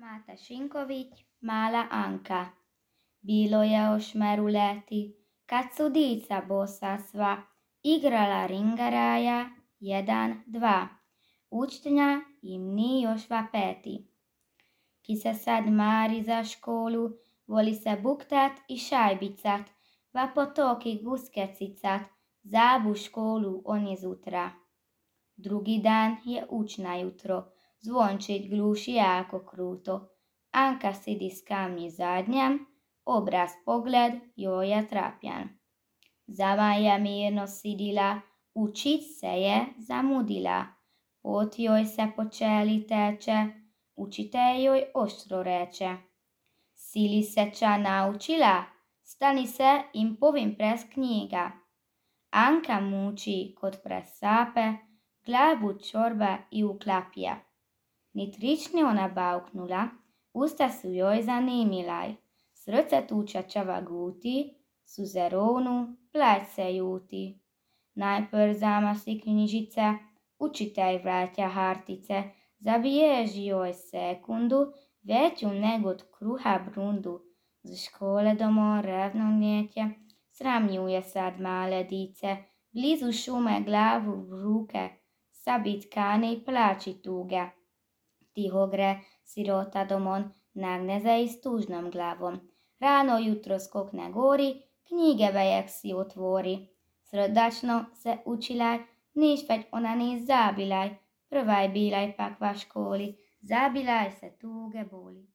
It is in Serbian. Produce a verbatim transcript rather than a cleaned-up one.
Máte Šinković, mala Anka. Bilo je o šmeru leti, kad su dica bosa sva igrala ringaraja, jedan, dva. Učitelja im ni jošva peti. Ki se sad mari za školu, voli se buktat i šajbicat, va potoki guske cicat, zabu školu on je zutra. Drugi dan je učna jutro, zvončić gluši jako kruto. Anka sidi s kamnji zadnjem, obraz pogled joj je trapjan. Zama je mirno sidila, učit se je zamudila. Pot joj se po čeli teče, učitelj joj oštro reče. Sili se ča naučila, stani se in povim pres knjiga. Anka muči kod presape, glavu čorba i uklapja. Ni trični ona bauknula, usta su joj zanimilaj. Srce tuča čava guti, suze rovnu, plać se juti. Najpr zamasi knjižice, učitelj vraća hartice, zabježi joj sekundu, veću nego od kruha brundu. Z škole domov revno njeće, sramnjuje sad male dice, blizu šume glavu v ruke, sabit kane i plači tuge. Tiho gre sirota domon, nagne za i s tužnom glavom. Rano jutro skokne gori, knjige vejek si otvori. Srdačno se učilaj, niš već ona ni zabilaj, prvaj bilaj pak va školi, zabilaj se tuge boli.